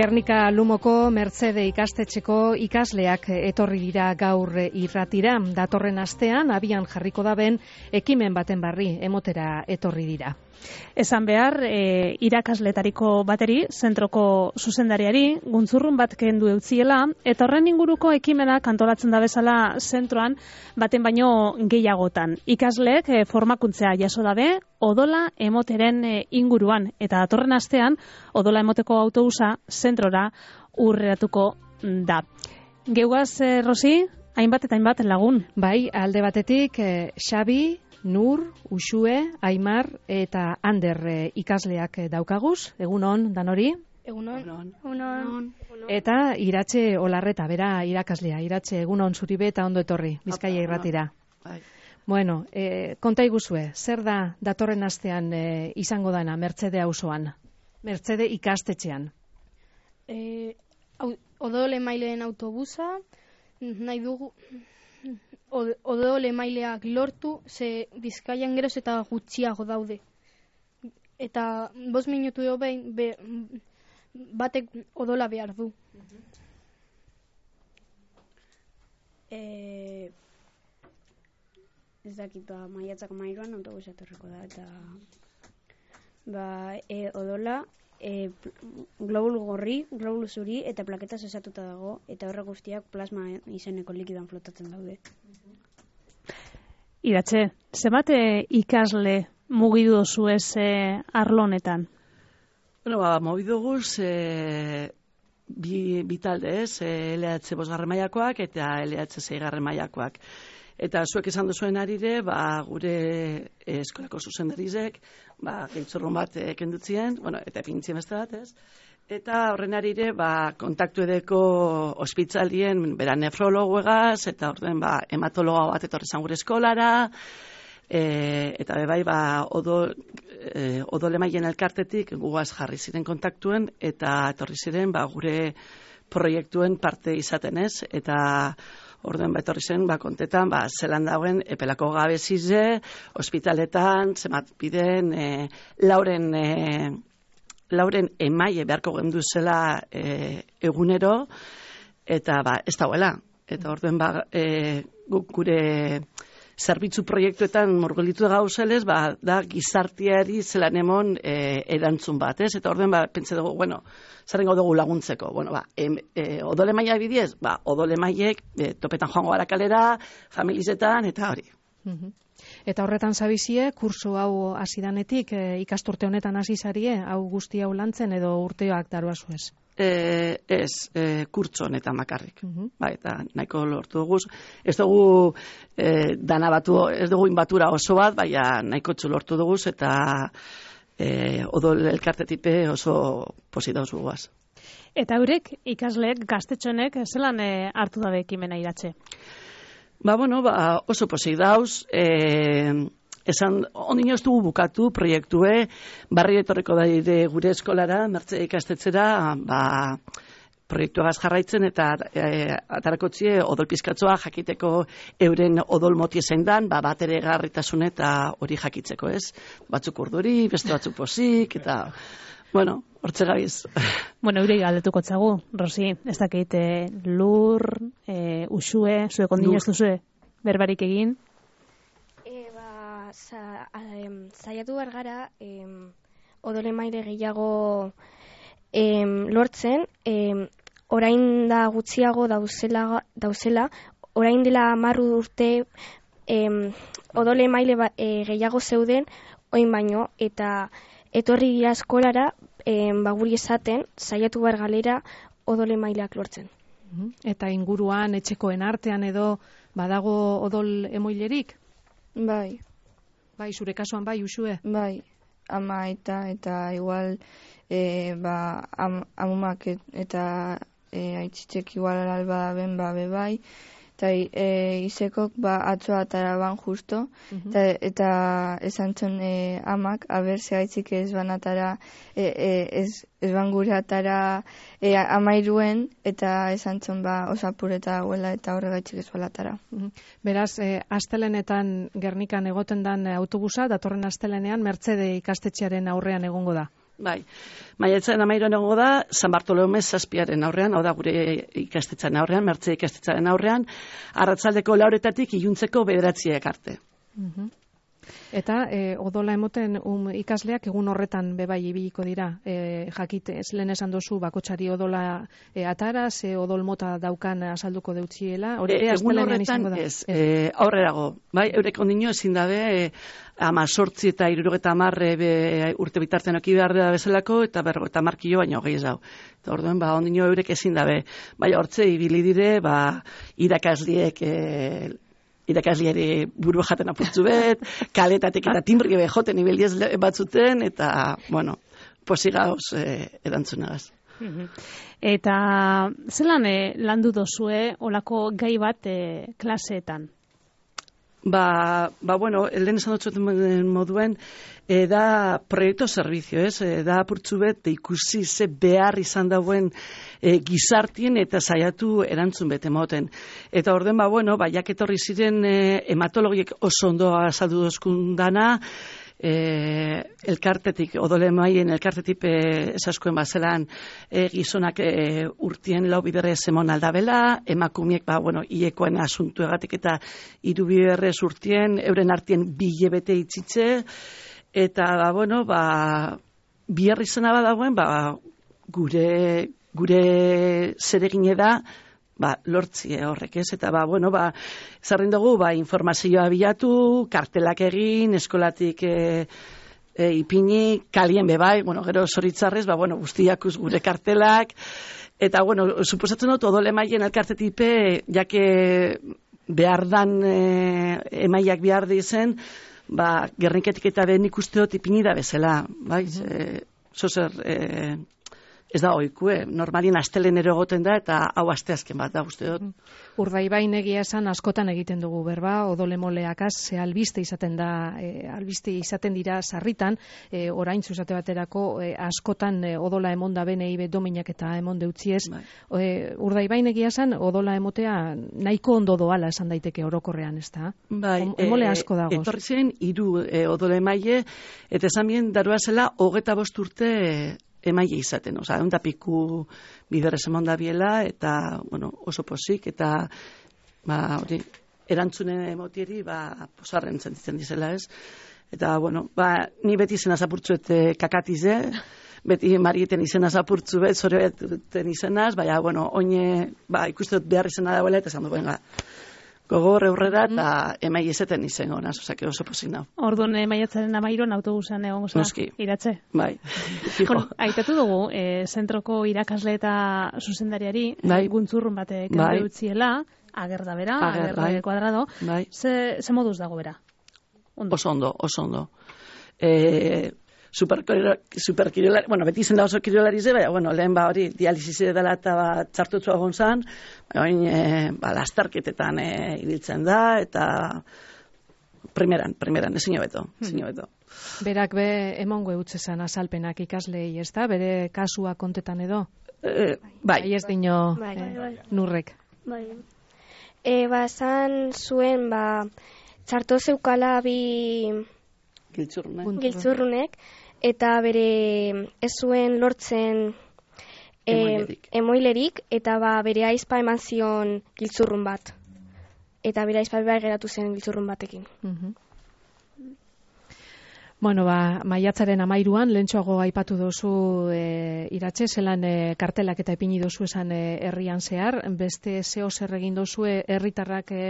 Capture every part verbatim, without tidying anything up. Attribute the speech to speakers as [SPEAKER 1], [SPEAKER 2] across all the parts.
[SPEAKER 1] Gernika Lumoko Mertzede ikastetxeko ikasleak etorri dira gaur irratira. Datorren astean abian jarriko daben ekimen baten barri emotera etorri dira.
[SPEAKER 2] Esan behar, e, irakasletariko bateri, zentroko zuzendariari, guntzurrun bat kendu eutziela, eta horren inguruko ekimenak antolatzen da bezala zentroan baten baino gehiagotan. Ikasleek e, formakuntzea jaso dabe, odola emoteren e, inguruan, eta datorren astean, odola emoteko autobusa zentrora urreratuko da. Geugaz, e, Rosi, hainbat eta hainbat lagun.
[SPEAKER 1] Bai, alde batetik, e, Xabi, Nur, Uxue, Aimar eta Ander e, ikasleak daukaguz. Egunon, danori?
[SPEAKER 3] Egunon.
[SPEAKER 4] Egunon.
[SPEAKER 1] Eta Iratxe Olarreta, bera irakaslea. Iratxe, egunon zuribe eta ondo etorri, Bizkaia irratira.
[SPEAKER 3] Bai.
[SPEAKER 1] Bueno, e, konta iguzue, zer da datorren astean e, izango dana Mertzede auzoan? Mertzede ikastetxean?
[SPEAKER 4] E, odole maileen autobusa, nahi dugu... Odole maileak lortu, ze Bizkaian geroz eta gutxiago daude. Eta bost minutu jo behin, be, batek odola behar du.
[SPEAKER 3] E, ez dakit, ba, maiatzak mairuan autobusa etorriko da, eta ba, e, odola, e, globulu gorri, globulu zuri, eta plaketa osatuta dago, eta horre guztiak plasma izeneko likidan flotatzen daude.
[SPEAKER 2] Iratxe, zemate ikasle mugidu dozu ez e, arlo honetan?
[SPEAKER 5] Bueno, ba, mugidu guz e, bi, bi talde ez, e, L H bosgarren mailakoak eta L H seigarren mailakoak. Eta zuek esan duzuen arire, ba, gure e, eskolako zuzendarizek, ba, giltzurrun bat e, kendutzien, bueno, eta pintzien beste bat, ez? Eta horren arire, ba, kontaktu edeko ospitzalien, bera nefrologuegaz, eta horren, ba, hematologa bat etorri zan gure eskolara, e, eta bebai, ba, odol, e, odolemaien elkartetik gugaz jarri ziren kontaktuen, eta etorri ziren, ba, gure proiektuen parte izaten ez, eta orduan ba, etorri zen, ba, kontetan, ba, zelan dauen epelako gabezize, ospitaletan, zemat biden, e, lauren... E, lauren emaie beharko gendu zela e, egunero, eta ba, ez dauela. Eta orduen ba, e, guk gure zerbitzu proiektuetan murgelitu gauzelez, ba, da gizartiari zelan emon e, erantzun bat, ez? Eta orduen ba, pentsa dugu, bueno, zerrengo dugu laguntzeko. Bueno, ba, em, e, odole maia bidiez, ba, odole maiek e, topetan joango gara kalera, familizetan, eta hori.
[SPEAKER 1] Mhm. Eta horretan zabizie, kurso hau hasidanetik e, ikasturte honetan hasi zarie, hau guzti hau lantzen edo urteoak daroazu ez?
[SPEAKER 5] E, ez, e, kurtso honetan bakarrik.
[SPEAKER 1] Uh-huh.
[SPEAKER 5] Ba, eta nahiko lortu dugu. Ez dugu e, dana batu, ez dugu inbatura oso bat, baina nahiko txu lortu dugu, eta e, odol elkartetipe oso posi dauz guaz.
[SPEAKER 2] Eta eurek, ikasleek, gaztetxonek, zelan e, hartu dabe ekimena Iratxe?
[SPEAKER 5] Ba, bueno, ba, oso posik dauz, e, esan, ondino ez dugu bukatu proiektue, barri etorriko da gure eskolara, Mertze ikastetzera, ba, proiektuagaz jarraitzen, eta e, atarakotzie odol pizkatzoa jakiteko euren odol moti zein dan, ba, bat ere garritasun eta hori jakitzeko, ez? Batzuk urduri, beste batzuk posik, eta... Bueno, hortze gabiz.
[SPEAKER 2] Bueno, eurei galdetuko txagu, Rosi, ez dakit e, lur, e, usue, zuek ondino ez duzue berbarik egin?
[SPEAKER 3] E, ba, za, em, zaiatu behar gara, em, odole maile gehiago em, lortzen, em, orain da gutxiago dauzela, dauzela orain dela marru urte em, odole maile ba, e, gehiago zeuden, oin baino, eta etorri dira eskolara, ba, guri esaten, saiatu behar galera odole maileak lortzen.
[SPEAKER 1] Eta inguruan, etxekoen artean edo badago odol emoilerik?
[SPEAKER 6] Bai.
[SPEAKER 1] Bai, zure kasuan bai, Uxue?
[SPEAKER 6] Bai, ama eta, eta igual, e, ba, am, amumak eta e, aitzitzek igual alba ben, ba, be bai, eta e, izekok ba, atzoa ataraban justo,
[SPEAKER 1] uh-huh.
[SPEAKER 6] eta, eta esan zon e, amak, aber ze aitzik ez banatara, e, e, ez, ez bangure atara e, amairuen, eta esan zon ba, osapureta huela eta horregaitzik ez balatara.
[SPEAKER 1] Uh-huh. Beraz, e, astelenetan Gernikan egoten dan autobusa, datorren astelenean Mertzede ikastetxearen aurrean egongo da.
[SPEAKER 5] Bai, maiatzaren amairuan egongo da, San Bartolome zazpiaren aurrean, hau da gure ikastetxaren aurrean, Mertze ikastetxaren aurrean, arratsaldeko lauretatik iluntzeko bederatziak arte.
[SPEAKER 1] Mhm. Eta e, odola emoten um, ikasleak egun horretan bebai ibiliko dira. E, jakit, ez lehen esan dozu bakotxari odola e, atara, ze odol mota daukan azalduko deutziela. Hori
[SPEAKER 5] e, egun horretan ez, e, aurrerago. Bai, eurek ondino ezin dabe, e, ama sortzi eta irurogeta amarre urte bitartean oki behar da bezalako, eta berro, eta markillo baino gehi ez dau. Eta orduen, ba, ondino eurek ezin dabe. Bai, hortze, ibili dire, ba, irakasliek, e, irakasliari buru jaten apurtzu bet, kaletatek eta timbri be joten ibeldiez batzuten, eta, bueno, posigauz eh, erantzunagaz.
[SPEAKER 2] Eta zelan eh, landu dozue olako gai bat eh, klaseetan?
[SPEAKER 5] Ba, ba, bueno, lehen esan dutxoten moduen, e, da proiektu servizio, ez? E, da apurtzu bet, ikusi ze behar izan dauen e, gizartien eta saiatu erantzun bete moten. Eta orden, ba, bueno, ba, jaketorri ziren e, hematologiek oso ondo azaldu dozkun dana, E, elkartetik, odole maien elkartetik e, esaskuen bazelan e, gizonak e, urtien lau biderrez emon aldabela, emakumiek, ba, bueno, iekoen asuntu egatik eta hiru biderrez urtien, euren artien bilebete itzitze, eta, ba, bueno, ba, bihar izena badagoen, ba, gure, gure zeregine da, ba, lortzie horrek, ez? Eta, ba, bueno, ba, zarrin dugu, ba, informazioa bilatu, kartelak egin, eskolatik e, e, ipini, kalien bebai, bueno, gero zoritzarrez, ba, bueno, guztiakuz gure kartelak, eta, bueno, suposatzen dut, odole maien elkartetipe, jake behar dan e, emaiak behar dizen, ba, gerrinketik eta ben ikusteot ipini da bezala, bai? E, zozer, e, ez da oikue, normalien astelenero egoten da, eta hau asteazken bat da, uste dut.
[SPEAKER 1] Urdaibain egia esan askotan egiten dugu berba, odole moleakaz, ze albiste izaten da, e, albiste izaten dira sarritan, e, orain zuzate baterako e, askotan e, odola emon da benei be dominak eta emon deutziez. Bai. E, Urdaibain egia esan, odola emotea nahiko ondo doala esan daiteke orokorrean, ez da?
[SPEAKER 5] Bai,
[SPEAKER 1] emole asko dagoz.
[SPEAKER 5] Etorri ziren, hiru e, odole maile, eta esan bien, darua zela, hogeta bost urte e, emaile izaten, oza, egun da piku biderrez emon da biela, eta, bueno, oso posik, eta, ba, hori, erantzunen emotieri, ba, posarren sentitzen dizela, ez? Eta, bueno, ba, ni beti izena zapurtzuet kakatize, beti marieten izena zapurtzu bet, zore beten izenaz, baina, bueno, oine, ba, ikusteot behar izena dagoela, eta esan du, venga, gogor eurrera eta emai ezeten izango naz, osea, que oso pozik nau.
[SPEAKER 2] Orduan emaiatzaren amairon autobusan egon goza, iratze?
[SPEAKER 5] Bai, fijo.
[SPEAKER 2] Bueno, aitatu dugu, e, zentroko irakasle eta zuzendariari, bai. Guntzurrun batek bai. Utziela, ager da bera, ager, ager bai. Kuadrado, bai. ze, ze moduz dago bera?
[SPEAKER 5] Ondo. Oso ondo, oso ondo. E, superkirolari, bueno, beti izen da oso kirolari ze, baina, bueno, lehen ba hori dializise dela eta ba, txartutzua gonzan, baina, e, ba, lastarketetan e, ibiltzen da, eta primeran, primeran, ezin hobeto, ezin hobeto.
[SPEAKER 1] Berak be emongo eutzezan azalpenak ikaslei, ez da? Bere kasua kontetan edo?
[SPEAKER 5] E, bai.
[SPEAKER 1] Bai ez dino
[SPEAKER 3] bai.
[SPEAKER 1] E, bai. Nurrek.
[SPEAKER 3] Bai. E, ba, zan zuen, ba, txarto zeukala bi
[SPEAKER 5] Giltzurrunek.
[SPEAKER 3] Giltzurrunek, eta bere ez zuen lortzen e,
[SPEAKER 5] emoilerik.
[SPEAKER 3] emoilerik, eta ba, bere aizpa eman zion giltzurrun bat. Eta bere aizpa behar geratu zen giltzurrun batekin.
[SPEAKER 1] Uh-huh. Bueno, ba, maiatzaren amairuan, lehentxoago aipatu dozu e, iratxe, zelan e, kartelak eta ipini dozu esan e, herrian zehar, beste zeo zer egin dozu herritarrak e,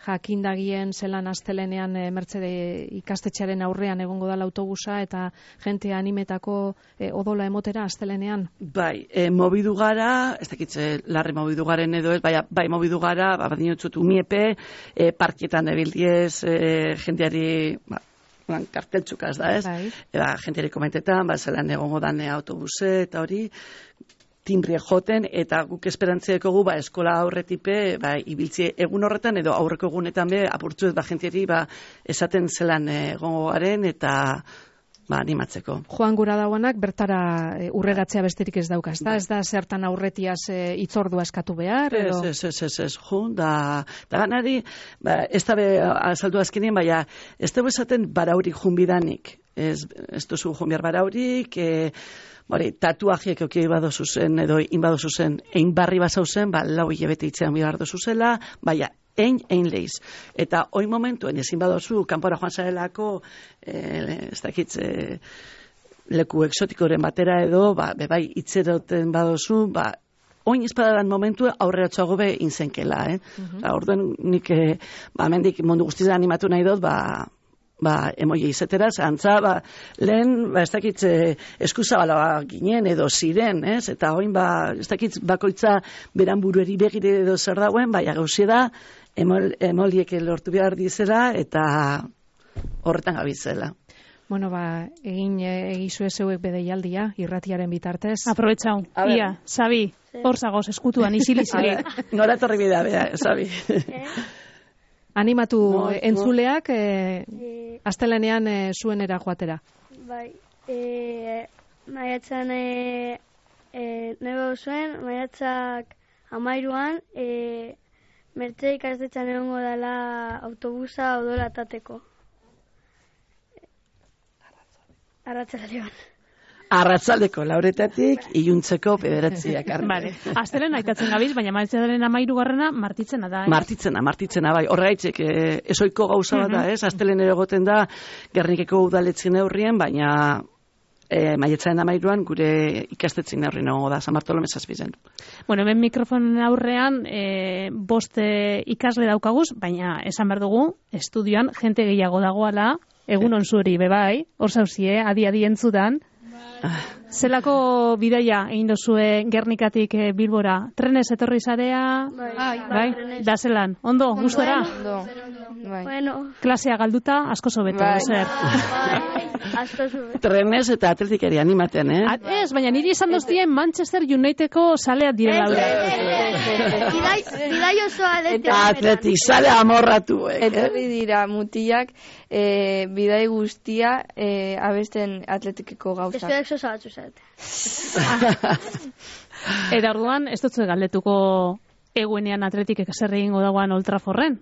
[SPEAKER 1] jakindagien zelan astelenean e, Mertzede ikastetxearen aurrean egongo dala autobusa eta jente animetako e, odola emotera astelenean?
[SPEAKER 5] Bai, e, mobidu gara, ez dakitze larri mobidu garen edo ez, bai, bai mobidu gara, ba, badinotzut umiepe, e, parkietan ebildiez, e, jenteari, ba, karteltxukaz da, ez?
[SPEAKER 1] Bai.
[SPEAKER 5] Eba, jenteari komentetan, ba, zelan egongo dane autobuse eta hori, timbrie joten, eta guk esperantziako gu, ba, eskola aurretipe, ba, ibiltzie egun horretan, edo aurreko egunetan be, apurtzuet, ba, jentiari, ba, esaten zelan egongo garen, eta, ba, animatzeko.
[SPEAKER 1] Joan gura dauanak bertara e, urregatzea besterik ez daukaz, da? Ez da zertan aurretiaz e, itzordua eskatu behar?
[SPEAKER 5] Ez, ez, ez, ez, ez, jun, da, da ganari, ba, ez da be, azaldu azkenien, baina, ez dugu esaten baraurik jun bidanik. Ez, ez duzu jun behar baraurik, e, bori, tatuajiek okei badozu zen, edo inbadozu zen, egin barri bazau zen, ba, lau hilabete itzean behar dozu zela, baina, Ein, ein leiz. Eta hoi momentuen ezin badozu, kanpora joan zarelako, eh, ez dakit, eh, leku exotikoren batera edo, ba, bebai, itzeroten badozu, ba, oin izpadadan momentu aurreratxoago be inzenkela, eh? Uh-huh. Orduen nik, eh, ba, mendik mundu guztizan animatu nahi dut, ba, ba, emoia izetera, zantza, ba, lehen, ba, ez dakit, eh, eskuzabala ginen edo ziren, ez? Eta oin, ba, ez dakit, bakoitza beran burueri begire edo zer dauen, baina gauzia da, emol, emoliek lortu behar dizela, eta horretan gabitzela.
[SPEAKER 1] Bueno, ba, egin egizue zeuek bedeialdia, irratiaren bitartez.
[SPEAKER 2] Aprobetxau, ia, Sabi, hor zagoz, eskutuan, izili-zili.
[SPEAKER 5] Nora torri bidea, bea, Sabi.
[SPEAKER 1] Animatu
[SPEAKER 4] no,
[SPEAKER 1] entzuleak eh, e, astelenean e, zuenera joatera.
[SPEAKER 4] Bai, e, maiatzan e, e, nebo zuen, maiatzak amairuan, e, mertze ikastetxan egongo dela autobusa odola tateko. Arratzaldean.
[SPEAKER 5] Arratzaldeko lauretatik, iluntzeko bederatziak.
[SPEAKER 2] Vale. Astelen aitatzen gabiz, baina maiatzaren amairugarrena martitzena da. Eh?
[SPEAKER 5] Martitzena, martitzena, bai. Horregaitzek, eh, esoiko gauza bat da, ez? Astelen ere egoten da, Gernikeko udaletxin neurrien, baina eh, maiatzaren amairuan gure ikastetzin neurrien egongo da, San Bartolome zazpizen.
[SPEAKER 2] Bueno, hemen mikrofonen aurrean eh, bost eh, ikasle daukaguz, baina esan behar dugu, estudioan jente gehiago dagoala, egun onzuri, bebai, hor zauzie, adi-adi entzudan. Zelako bidaia egin dozue Gernikatik eh, Bilbora? Trenez etorri zarea?
[SPEAKER 4] Bai,
[SPEAKER 2] bai? Da zelan? Ondo, gustora?
[SPEAKER 6] Ondo. Bai.
[SPEAKER 4] Bueno.
[SPEAKER 2] Klasea galduta, asko sobeto,
[SPEAKER 6] Bai.
[SPEAKER 2] zer?
[SPEAKER 4] Bai, asko zube.
[SPEAKER 5] Trenez eta atletikeri animaten, eh?
[SPEAKER 2] A, ez, baina niri esan doztien Manchester Unitedeko saleak direla.
[SPEAKER 4] Bidai osoa
[SPEAKER 5] Eta atletik sale amorratu, eh?
[SPEAKER 6] Etorri dira mutilak e, bidai guztia e, abesten atletikeko gauzak.
[SPEAKER 4] Espeak sosa batzu zait.
[SPEAKER 2] Eta orduan, ez dutzu galdetuko eguenean atletikek zer egingo dagoan Old Trafforden?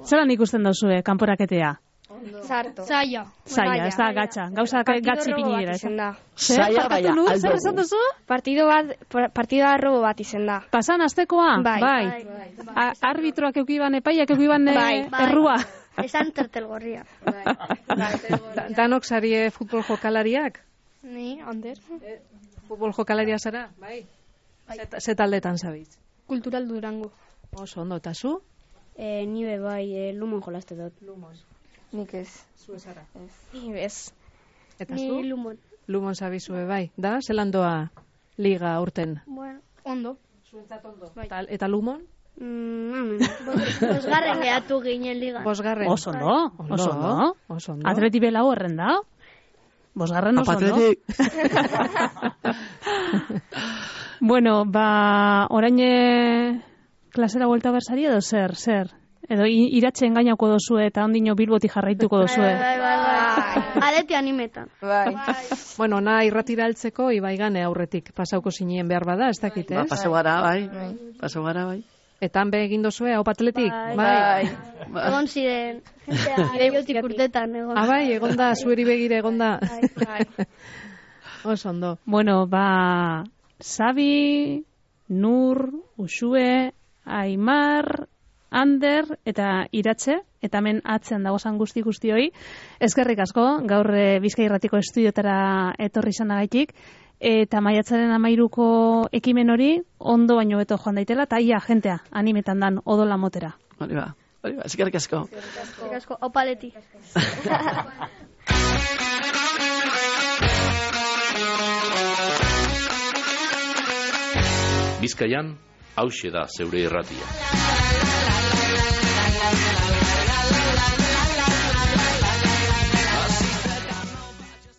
[SPEAKER 2] Zeran ikusten dozue, kanporaketea?
[SPEAKER 3] Sarto.
[SPEAKER 4] Zaila.
[SPEAKER 2] Zaila, ez da, gatxa. Gauza gatzi pinira.
[SPEAKER 5] Zaila, baina,
[SPEAKER 2] aldo.
[SPEAKER 5] aldo.
[SPEAKER 2] Zer esan duzu?
[SPEAKER 3] Partido bat, partida robo bat izen da.
[SPEAKER 2] Pasan astekoa?
[SPEAKER 3] Bai.
[SPEAKER 2] bai. A, arbitroak eukiban epaiak eukiban
[SPEAKER 3] Bai.
[SPEAKER 2] errua.
[SPEAKER 4] Esan tertelgorria.
[SPEAKER 1] Da- Danok zarie futbol jokalariak?
[SPEAKER 4] Ni, Ander.
[SPEAKER 1] Futbol jokalaria zara? Bai. Zet- Ze taldetan zabiz?
[SPEAKER 4] Kultural Durango.
[SPEAKER 1] Oso ondo, eta zu?
[SPEAKER 7] Eh, ni be bai, eh, lumon jolaste dut.
[SPEAKER 1] Lumon.
[SPEAKER 6] Nik ez.
[SPEAKER 1] Zu zara.
[SPEAKER 3] Ni bez.
[SPEAKER 1] Eta
[SPEAKER 4] Ni
[SPEAKER 1] zu?
[SPEAKER 4] Lumon.
[SPEAKER 1] Lumon zabizue, bai. Da, zelan doa liga urten?
[SPEAKER 4] Bueno, ondo.
[SPEAKER 1] Zuentzat ondo.
[SPEAKER 4] Bai.
[SPEAKER 1] Eta, eta Lumon?
[SPEAKER 4] Mm, Bosgarren gehatu ginen ligan.
[SPEAKER 1] Bosgarren.
[SPEAKER 2] Oso ondo, oso ondo.
[SPEAKER 1] Oso ondo.
[SPEAKER 2] Atleti belau horren da. Bosgarren oso ondo.
[SPEAKER 5] Apatletik.
[SPEAKER 2] Bueno, ba, orain eh, klasera vuelta bersari edo zer, zer? Edo i- iratxe engainako dozue eta ondino Bilboti jarraituko dozue.
[SPEAKER 4] Bai, bai, bai. Aleti animetan.
[SPEAKER 6] Bai.
[SPEAKER 1] Bueno, na irratira heltzeko Ibaigane aurretik pasauko zinien behar bada, ez dakit,
[SPEAKER 5] Ba,
[SPEAKER 1] ez?
[SPEAKER 5] pasau gara, bai. Pasau gara, bai.
[SPEAKER 1] Eta han be egin dozue, hau patletik?
[SPEAKER 4] Bai.
[SPEAKER 5] Ba.
[SPEAKER 4] Egon ziren. Jentea, urtetan egon.
[SPEAKER 1] Ah, bai, egonda, zueri begire egonda.
[SPEAKER 4] Bai.
[SPEAKER 1] Oso ondo.
[SPEAKER 2] Bueno, ba, Sabi, Nur, Uxue, Aimar, Ander eta Iratxe, eta hemen atzean dagozan guzti guztioi. Eskerrik asko, gaur e, Bizkai Irratiko estudiotara etorri izanagaitik, eta maiatzaren amairuko ekimen hori ondo baino beto joan daitela, eta ia jentea animetan dan odola motera.
[SPEAKER 5] Hori ba, hori ba, eskerrik asko.
[SPEAKER 4] Eskerrik asko, opaleti.
[SPEAKER 8] Bizkaian, hauxe da zeure irratia.